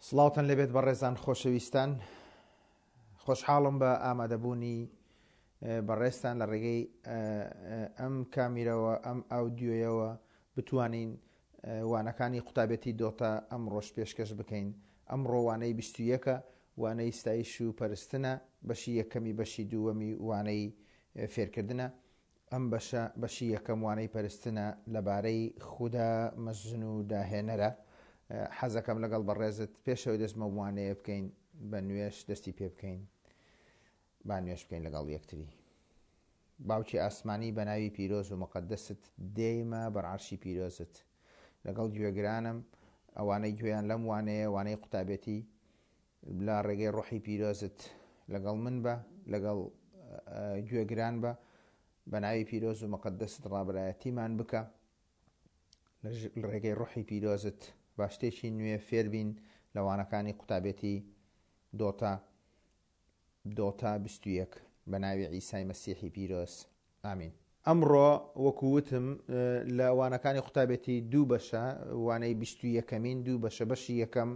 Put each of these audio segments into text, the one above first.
سڵاوتان لێبێت بەڕێزان خۆشەویستان خۆشحاڵم بە ئامادەبوونی بەڕێزتان لە ڕێگەی ئەم کامیرەوە ئەم ئاودیۆیەوە بتوانین وانەکانی قوتابێتی دۆتا ئەمڕۆش پێشکەش بکەین ئەمڕۆ وانەی 21ە وانەی ستایش و پەرستنە بەشی یەکەمی بەشی دووەمی وانەی فێرکردنە ئەم بەشە بەشی یەکەم وانەی پەرستنە لەبارەی خودا مەزن و داهێنەرە. حەزەکەم لەگەڵ بەڕێزت پێشەوەی دەست بەم وانەیە بکەین بە نوێژ دەستی پێ بکەین. با نوێژ بکەین لەگەڵ یەکتری. باوکی ئاسمانی بە ناوی پیرۆز و مقدست دێیمە بەر عەرشی پیرۆزت لەگەڵ گوێگرانم ئەوانەی گوێیان لەم وانەیە وانەی قوتابێتی لە ڕێگەی ڕۆحی پیرۆزت لەگەڵ من بە، لەگەڵ گوێگران بە، بە ناوی پیرۆز و مقدست ڕابەرایەتیمان بکە، لە ڕێگەی ڕۆحی پیرۆزت با شتێکی نوێ فێربین لە وانەکانی قوتابێتی دۆتا دۆتا 21 بە ناوی عیسای مەسیحی پیرۆز ئامین. ئەمڕۆ وەکو وتم لە وانەکانی قوتابێتی دوو بەشە، وانەی 21ەمین دوو بەشە، بەشی یەکەم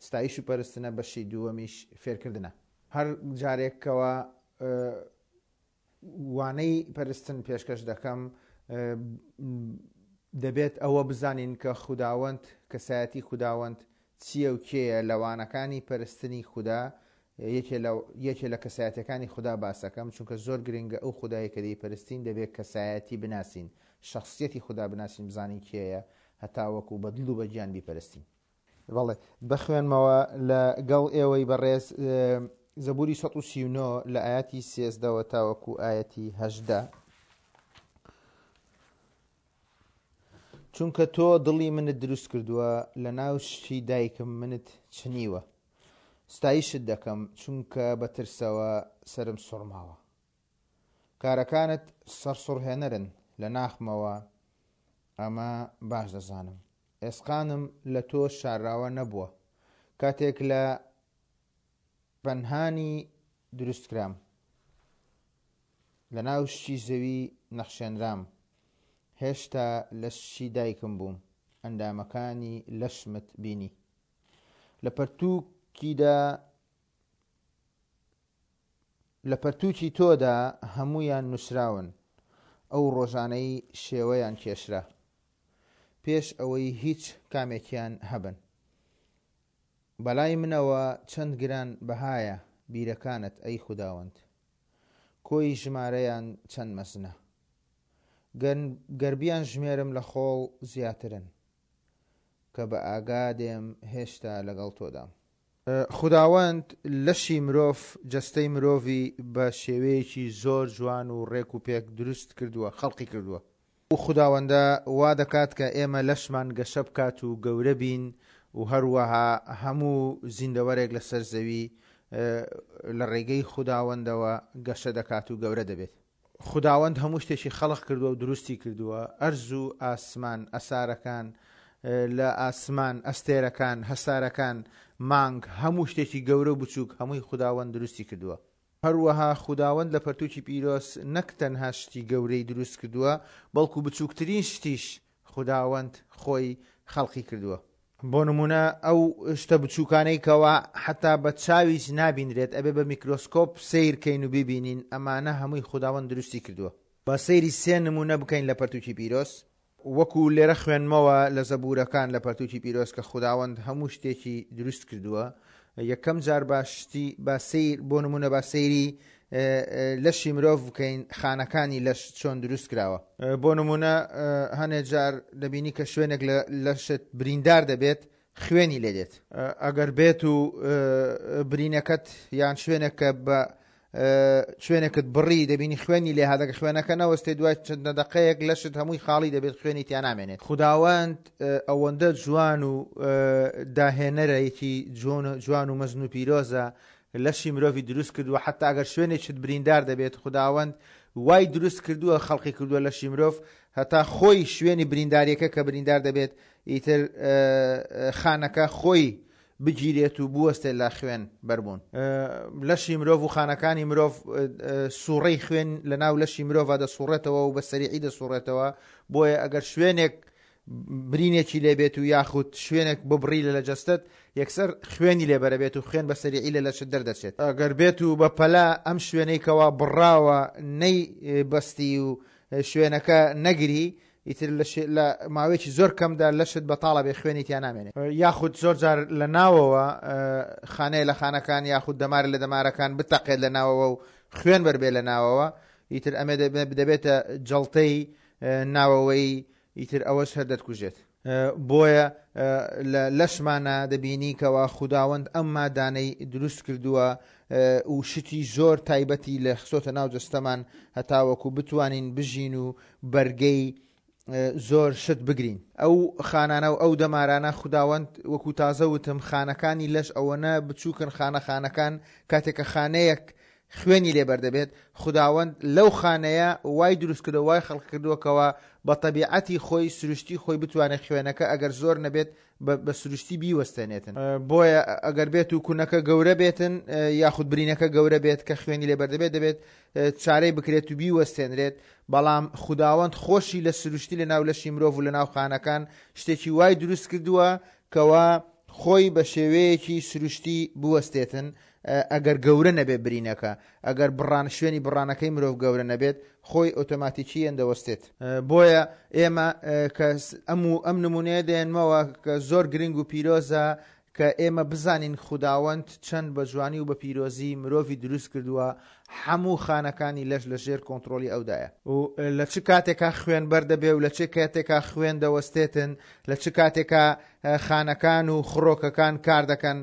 ستایش و پەرستنە، بەشی دووەمیش فێرکردنە. هەر جارێک کەوا وانەی پەرستن پێشکەش دەکەم دەبێت ئەوە بزانین کە خوداوەند، کەسایەتی خوداوەند چییە و کێیە، لە وانەکانی پەرستنی خودا یەکێ لە یەکێ لە کەسایەتیەکانی خودا باسەکەم چونکە زۆر گرنگە ئەو خودایەی کە دەیپەرستین دەبێ کەسایەتی بناسین شەخسیەتی خودا بناسین بزانین کێیە هەتاوەکو بە دڵ و بە گیان بیپەرستین. بەڵێ بخوێنمەوە لە گەڵ ئێوەی بەڕێز زەبوری 139 لە ئاەتی سێزدەوە تاوەکو ئاەتی هەژدە. چونکە تۆ دڵی منت دروست کردووە لە ناو شتی دایکم منت چنیوە. ستایشت دەکەم، چونکە بە ترسەوە سەرم سوڕماوە. کارەکانت سەرسوڕهێنەرن، لە ناخمەوە ئەمە باش دەزانم. ئێسقانم لە تۆ شارراوە نەبووە، کاتێک لە پەنهانی دروستکرام. لە ناو شتی زەوی نەخشێنرام، هێشتا لە شتی دایکم بووم، ئەندامەکانی لەشمت بینی. لە پەرتووکیدا لە پەرتووکی تۆدا هەموویان نووسراون، ئەو ڕۆژانەی شێوەیان کێشرا، پێش ئەوەی هیچ کامێکیان هەبن. بەلای منەوە چەند گران بەهایە بیرەکانت ئەی خوداوەند! کۆی ژمارەیان چەند مەزنە! گەر بیانژمێرم لە خۆڵ زیاترن. کە بە ئاگا دێم هێشتا لەگەڵ تۆدام. خوداوەند لەشی مرۆڤ، جەستەی مرۆڤی بە شێوەیەکی زۆر جوان و ڕێک و پێک دروست کردووە، خەڵقی کردووە. ئەو خوداوەندە وا دەکات کە ئێمە لەشمان گەشە بکات و گەورە بین و هەروەها هەموو زیندەوەرێک لەسەر زەوی لە ڕێگەی خوداوەندەوە گەشە دەکات و گەورە دەبێت. خوداوەند هەموو شتێکی خەڵق کردووە و دروستی کردووە، ئەرز و ئاسمان، ئەسارەکان لە ئاسمان، ئەستێرەکان، هەسارەکان، مانگ، هەموو شتێکی گەورە و بچووک هەمووی خوداوەند دروستی کردووە. هەروەها خوداوەند لە پەرتووکی پیرۆز نەک تەنها شتی گەورەی دروست کردووە، بەڵکو بچووکترین شتیش خوداوەند خۆی خەڵقی کردووە. بۆ نموونە ئەو شتە بچووکانەی کەوا حەتا بە چاویش نابینرێت ئەبێ بە میکرۆسکۆپ سەیر کەین و بیبینین ئەمانە هەمووی خوداوەند دروستی کردووە. با سەیری سێ نموونە بکەین لە پەرتووکی پیرۆز. وەکو لێرە خوێندمەوە لە زەبوورەکان لە پەرتووکی پیرۆز کە خوداوەند هەموو شتێکی دروست کردووە یەکەم جار با شتی با سەیر بۆ نموونە با سەیری لەشی مرۆڤ بکەین خانەکانی لەش چۆن دروست کراوە. بۆ نموونە هەنێ جار دەبینی کە شوێنێک لە لەشت بریندار دەبێت خوێنی لێ دێت. ئەگەر بێت و برینەکەت یان شوێنێک کە بە شوێنێکت بڕی دەبینی خوێنی لێ هات ئەگەر خوێنەکە نەوەستێ دوای چەند دەقەیەک لەشت هەمووی خاڵی دەبێت خوێنی تیا نامێنێت. خوداوەند ئەوەندە جوان و داهێنەرێکی جوان و مەزن و پیرۆزە لەشی مرۆڤی دروست کردووە حەتا ئەگەر شوێنێکت بریندار دەبێت خوداوەند وای دروست کردووە خەڵقی کردووە لەشی مرۆڤ هەتا خۆی شوێنی برینداریەکە کە بریندار دەبێت ئیتر خانەکە خۆی بگیرێت و بوەستێت لە خوێن بەربوون. لەشی مرۆڤ و خانەکانی مرۆڤ سوڕەی خوێن لە ناو لەشی مرۆڤ دەسوڕێتەوە و بە سەریعی دەسوڕێتەوە بۆیە ئەگەر شوێنێک برینێکی لێ بێت و یاخود شوێنێک ببڕی لە لە جەستەت یەکسەر خوێنی لێ بەرەبێت و خوێن بە سەریعی لە لەشت دەردەچێت. ئەگەر بێت و بە پەلە ئەم شوێنەی کەوا بڕاوە نەی بەستی و شوێنەکە نەگری ئیتر لە لە ماوەیەکی زۆر کەمدا لەشت بەتاڵە بێ خوێنی تیا نامێنێ. یاخود زۆر جار لە ناوەوە خانەیە لە خانەکان یاخود دەمارە لە دەمارەکان بتەقێت لە ناوەوە و خوێن بەربێ لە ناوەوە ئیتر ئەمێ دەبێتە جەڵتەی ناوەوەی ئیتر ئەوەش هەر دەتکوژێت. بۆیە لە لەشمانا دەبینی کەوا خوداوەند ئەم مادانەی دروست کردووە و شتی زۆر تایبەتی لە خستۆتە ناو جەستەمان هەتاوەکو بتوانین بژین و بەرگەی زۆر شت بگرین. ئەو خانانە و ئەو دەمارانە خوداوەند وەکو تازە وتم خانەکانی لەش ئەوەنە بچووکن خانە خانەکان کاتێک کە خانەیەک خوێنی لێ بەردەبێت، خوداوەند لەو خانەیە وای دروست کردوە وای خەڵق کردوە کەوا بە تەبیعەتی خۆی سروشتی خۆی بتوانێت خوێنەکە ئەگەر زۆر نەبێت بە سروشتی بیوەستێنێتن. بۆیە ئەگەر بێت و کونەکە گەورە بێتن یاخود برینەکە گەورە بێت کە خوێنی لێ بەردەبێت دەبێت چارەی بکرێت و بیوەستێنرێت، بەڵام خوداوەند خۆشی لە سروشتی لە ناو لەشی مرۆڤ و لە ناو خانەکان شتێکی وای دروست کردوە کەوا خۆی بە شێوەیەکی سروشتی بوەستێتن ئەگەر گەورە نەبێت برینەکە، ئەگەر بڕان شوێنی بڕانەکەی مرۆڤ گەورە نەبێت، خۆی ئۆتۆماتیکییەن دەوەستێت. بۆیە ئێمە کە ئەم و ئەم نمونەیە دێنمەوە کە زۆر گرنگ و پیرۆزە کە ئێمە بزانین خوداوەند چەند بە جوانی و بە پیرۆزی مرۆڤی دروست کردووە، هەموو خانەکانی لەش لە ژێر کۆنتڕۆڵی ئەودایە. و لە چ کاتێکا خوێن بەردەبێ و لە چ کاتێکا خوێن دەوەستێتن، لە چ کاتێکا خانەکان و خڕۆکەکان کار دەکەن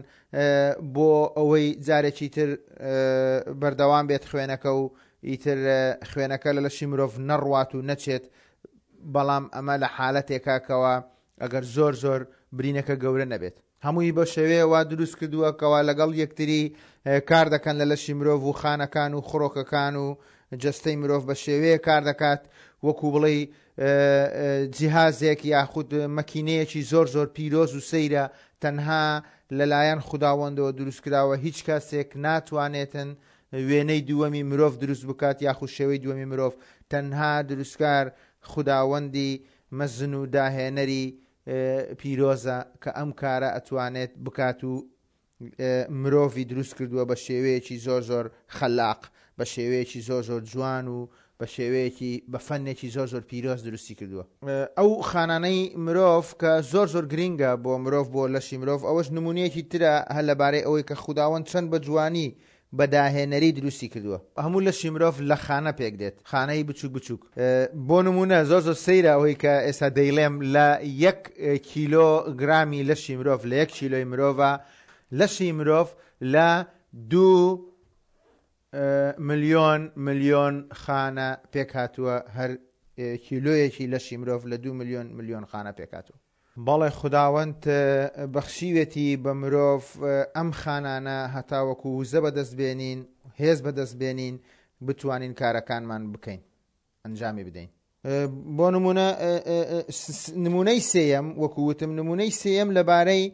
بۆ ئەوەی جارێکی تر بەردەوام بێت خوێنەکە و ئیتر خوێنەکە لە لەشی مرۆڤ نەڕوات و نەچێت بەڵام ئەمە لە حالەتێکا کەوا ئەگەر زۆر زۆر برینەکە گەورە نەبێت. هەمووی بە شێوەیە وا دروست کردووە کەوا لەگەڵ یەکتری کار دەکەن لە لەشی مرۆڤ و خانەکان و خڕۆکەکان و جەستەی مرۆڤ بە شێوەیە کار دەکات وەکو بڵێی جیهازێک یاخود مەکینەیەکی زۆر زۆر پیرۆز و سەیرە تەنها لەلایەن خوداوەندەوە دروستکراوە هیچ کەسێک ناتوانێتن وێنەی دووەمی مرۆڤ دروست بکات یاخود شێوەی دووەمی مرۆڤ تەنها دروستکار خوداوەندی مەزن و داهێنەری پیرۆزە کە ئەم کارە ئەتوانێت بکات و مرۆڤی دروست کردووە بە شێوەیەکی زۆر زۆر خەلاق، بە شێوەیەکی زۆر زۆر جوان و بە شێوەیەکی بە فەنێکی زۆر زۆر پیرۆز دروستی کردووە. ئەو خانانەی مرۆڤ کە زۆر زۆر گرینگە بۆ مرۆڤ بۆ لەشی مرۆڤ ئەوەش نمونەیەکی ترە هەر لەبارەی ئەوەی کە خوداوەند چەند بە جوانی بە داهێنەری دروستی کردووە. هەموو لەشی مرۆڤ لە خانە پێک دێت، خانەی بچوک بچوک. بۆ نموونە زۆر زۆر سەیرە ئەوەی کە ئێستا دەیڵێم لە یەک کیلۆ گرامی لەشی مرۆڤ لە یەک کیلۆی مرۆڤا لەشی مرۆڤ لە دوو ملیۆن ملیۆن خانە پێکهاتووە هەر کیلۆیەکی لەشی مرۆڤ لە دوو ملیۆن ملیۆن خانە پێکهاتووە. بەڵێ خوداوەند بەخشیوێتی بە مرۆڤ ئەم خانانە هەتاوەکو وزە بەدەست بێنین هێز بەدەست بێنین بتوانین کارەکانمان بکەین ئەنجامی بدەین. بۆ نمونە نمونەی سێیەم وەکو وتم نمونەی سێیەم لەبارەی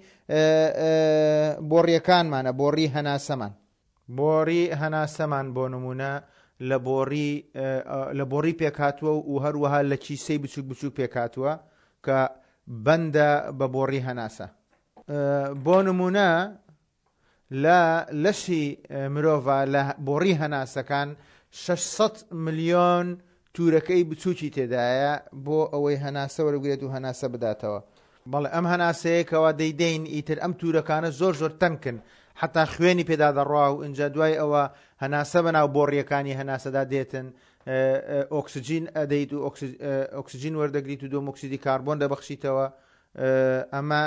بۆڕیەکانمانە بۆڕی هەناسەمان. بۆڕی هەناسەمان بۆ نموونە لە بۆڕی لە بۆڕی پێکهاتووە و هەروەها لە کیسەی بچووک بچووک پێکهاتووە کە بەندە بە بۆڕی هەناسە. بۆ نموونە لە لەشی مرۆڤا لە بۆڕی هەناسەکان 600 ملیۆن تورەکەی بچوکی تێدایە بۆ ئەوەی هەناسە وەربگرێت و هەناسە بداتەوە. بەڵێ ئەم هەناسەیە کەوا دەیدەین ئیتر ئەم تورەکانە زۆر زۆر تەنکن حەتا خوێنی پێدا دەڕوا و ئینجا دوای ئەوە هەناسە بەناو بۆڕیەکانی هەناسەدا دێتن ئۆکسجین ئەدەیت و ئۆکسجین وەردەگریت و دۆمۆکسیدی کاربۆن دەبەخشیتەوە ئەمە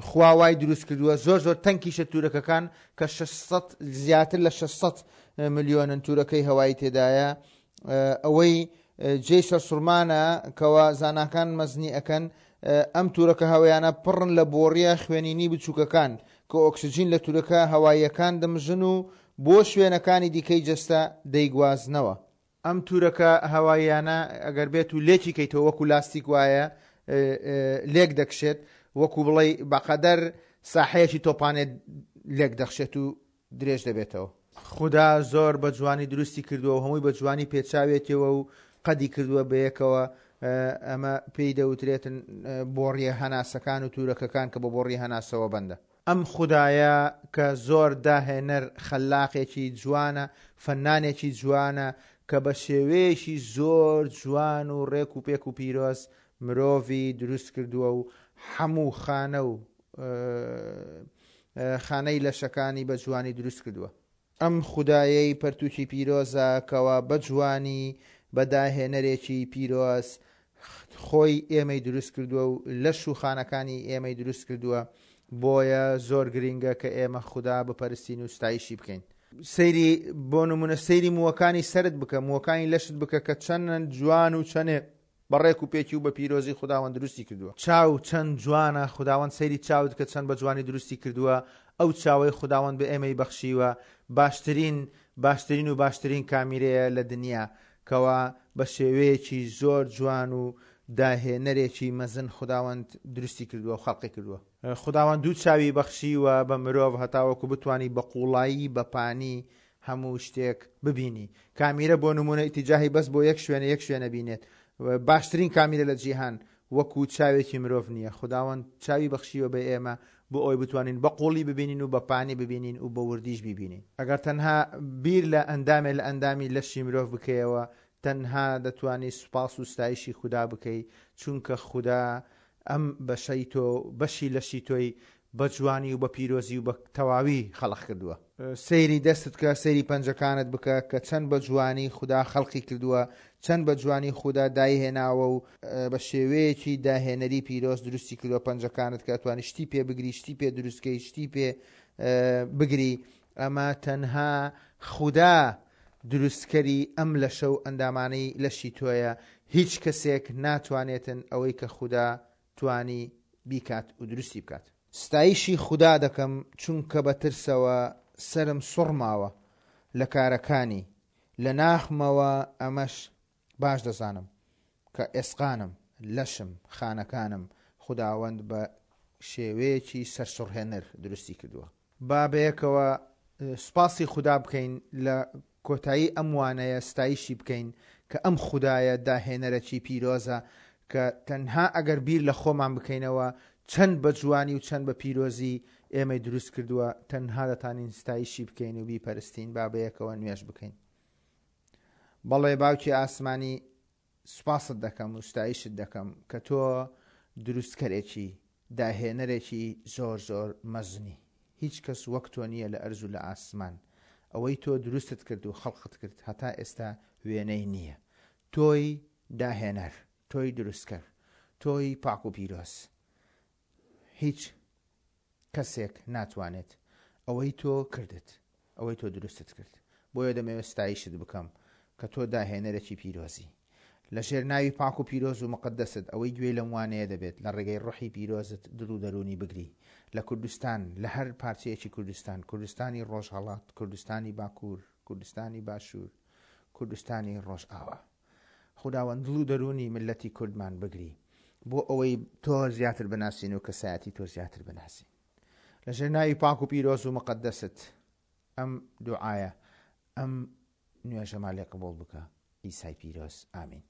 خوا وای دروست کردووە زۆر زۆر تەنکیشە تورەکەکان کە 600 زیاتر لە 600 ملیۆنن تورەکەی هەوایی تێدایە ئەوەی جێی سەرسوڕمانە کەوا زاناکان مەزنی ئەکەن ئەم تورەکە هەوایانە پڕن لە بۆڕیە خوێنینی بچووکەکان کە ئۆکسجین لە تورەکە هەواییەکان دەمژن و بۆ شوێنەکانی دیکەی جەستە دەیگوازنەوە. ئەم تورەکە هەواییانە ئەگەر بێت و لێکی کەیتەوە وەکو لاستیک وایە لێک دەکشێت وەکو بڵێی بەقەدەر ساحەیەکی تۆپانێ لێک دەخشێت و درێژ دەبێتەوە. خودا زۆر بە جوانی دروستی کردووە و هەمووی بە جوانی پێچاوێتیەوە و قەدی کردووە بەیەکەوە. ئەمە پێی دەوترێتن بۆڕیە هەناسەکان و تورەکەکان کە بە بۆڕی هەناسەوە بەندە. ئەم خودایە کە زۆر داهێنەر خەلاقێکی جوانە فەنانێکی جوانە کە بە شێوەیەکی زۆر جوان و ڕێک و پێک و پیرۆز مرۆڤی دروست کردووە و حەموو خانە و خانەی لەشەکانی بە جوانی دروست کردووە. ئەم خودایەی پەرتوکی پیرۆزە کەوا بە جوانی بە داهێنەرێکی پیرۆز خۆی ئێمەی دروست کردووە و لەش و خانەکانی ئێمەی دروست کردووە بۆیە زۆر گرینگە کە ئێمە خودا بپەرستین و ستایشی بکەین. سەیری بۆ نمونە سەیری مووەکانی سەرت بکە مووەکانی لەشت بکە کە چەند جوان و چەنێ بە ڕێک و پێکی و بە پیرۆزی خوداوەند دروستی کردووە. چاو چەند جوانە، خوداوەند سەیری چاوت کە چەند بە جوانی دروستی کردووە، ئەو چاوەی خوداوەند بە ئێمەی بەخشیوە باشترین باشترین و باشترین کامیرەیە لە دنیا کەوا بە شێوەیەکی زۆر جوان و داهێنەرێکی مەزن خوداوەند دروستی کردووە و خەڵقی کردووە. خوداوەند دوو چاوی بەخشیوە بە مرۆڤ هەتاوەکو بتوانی بە قوڵایی بە پانی هەموو شتێک ببینی کامیرە بۆ نمونە ئیتیجاهی بەس بۆ یەک شوێنە یەک شوێنە بینێت باشترین کامیرە لە جیهان وەکو چاوێکی مرۆڤ نییە خوداوەند چاوی بەخشیوە بە ئێمە بۆ ئەوەی بتوانین بە قوڵی ببینین و بە پانی ببینین و بە وردیش بیبینین ئەگەر تەنها بیر لە ئەندامێ لە ئەندامی لەشی مرۆڤ بکەیەوە تەنها دەتوانی سوپاس و ستایشی خودا بکەی چونکە خودا ئەم بەشەی تۆ بەشی لەشی تۆی بە جوانی و بە پیرۆزی و بە تەواوی خەڵق کردووە. سەیری دەستت کە، سەیری پەنجەکانت بکە کە چەند بە جوانی خودا خەڵقی کردووە، چەند بە جوانی خودا دایهێناوە و بە شێوەیەکی داهێنەری پیرۆز دروستی کردووە پەنجەکانت کە ئەتوانی شتی پێ بگری، شتی پێ دروست کەی، شتی پێ بگری، ئەمە تەنها خودا دروستکەری ئەم لەشە و ئەندامانەی لەشی تۆیە، هیچ کەسێک ناتوانێتن ئەوەی کە خودا توانی بیکات و دروستی بکات. ستایشی خودا دەکەم چونکە بە ترسەوە سەرم سوڕماوە لە کارەکانی، لە ناخمەوە ئەمەش باش دەزانم کە ئێسقانم، لەشم، خانەکانم خوداوەند بە شێوەیەکی سەرسوڕهێنەر دروستی کردووە. با بەیەکەوە سوپاسی خودا بکەین لە کۆتایی ئەم وانەیە ستایشی بکەین کە ئەم خودایە داهێنەرەکی پیرۆزە کە تەنها ئەگەر بیر لە خۆمان بکەینەوە چەند بە جوانی و چەند بە پیرۆزی ئێمەی دروست کردووە تەنها دەتانین ستایشی بکەین و بیپەرستین با بەیەکەوە نوێژ بکەین بەڵێ باوکی ئاسمانی سوپاست دەکەم و ستایشت دەکەم کە تۆ دروستکەرێکی، داهێنەرێکی زۆر زۆر مەزنی. هیچ کەس وەک تۆ نییە لە ئەرز و لە ئاسمان. ئەوەی تۆ دروستت کرد و خەڵقت کرد هەتا ئێستا وێنەی نییە. تۆی داهێنەر، تۆی دروستکەر، تۆی پاک و پیرۆز. هیچ کەسێک ناتوانێت ئەوەی تۆ کردت، ئەوەی تۆ دروستت کرد. بۆیە دەمەوێت ستایشت بکەم کە تۆ داهێنەرێکی پیرۆزی. لە ژێر ناوی پاک و پیرۆز و مقەدەست ئەوەی گوێی لەم وانەیە دەبێت لە ڕێگەی ڕۆحی پیرۆزت دڵ و دەروونی بگری لە کوردستان، لە هەر پارچەیەکی کوردستان، کوردستانی ڕۆژهەڵات، کوردستانی باکوور، کوردستانی باشوور، کوردستانی ڕۆژئاوا. خوداوەند دڵ و دەروونی میللەتی کوردمان بگری بۆ ئەوەی تۆ زیاتر بناسین و کەسایەتی تۆ زیاتر بناسین لەژێر ناوی پاک و پیرۆز و مقدست ئەم دوعایە ئەم نوێژەمان لێ قبوڵ بکە ئیسای پیرۆز ئامین.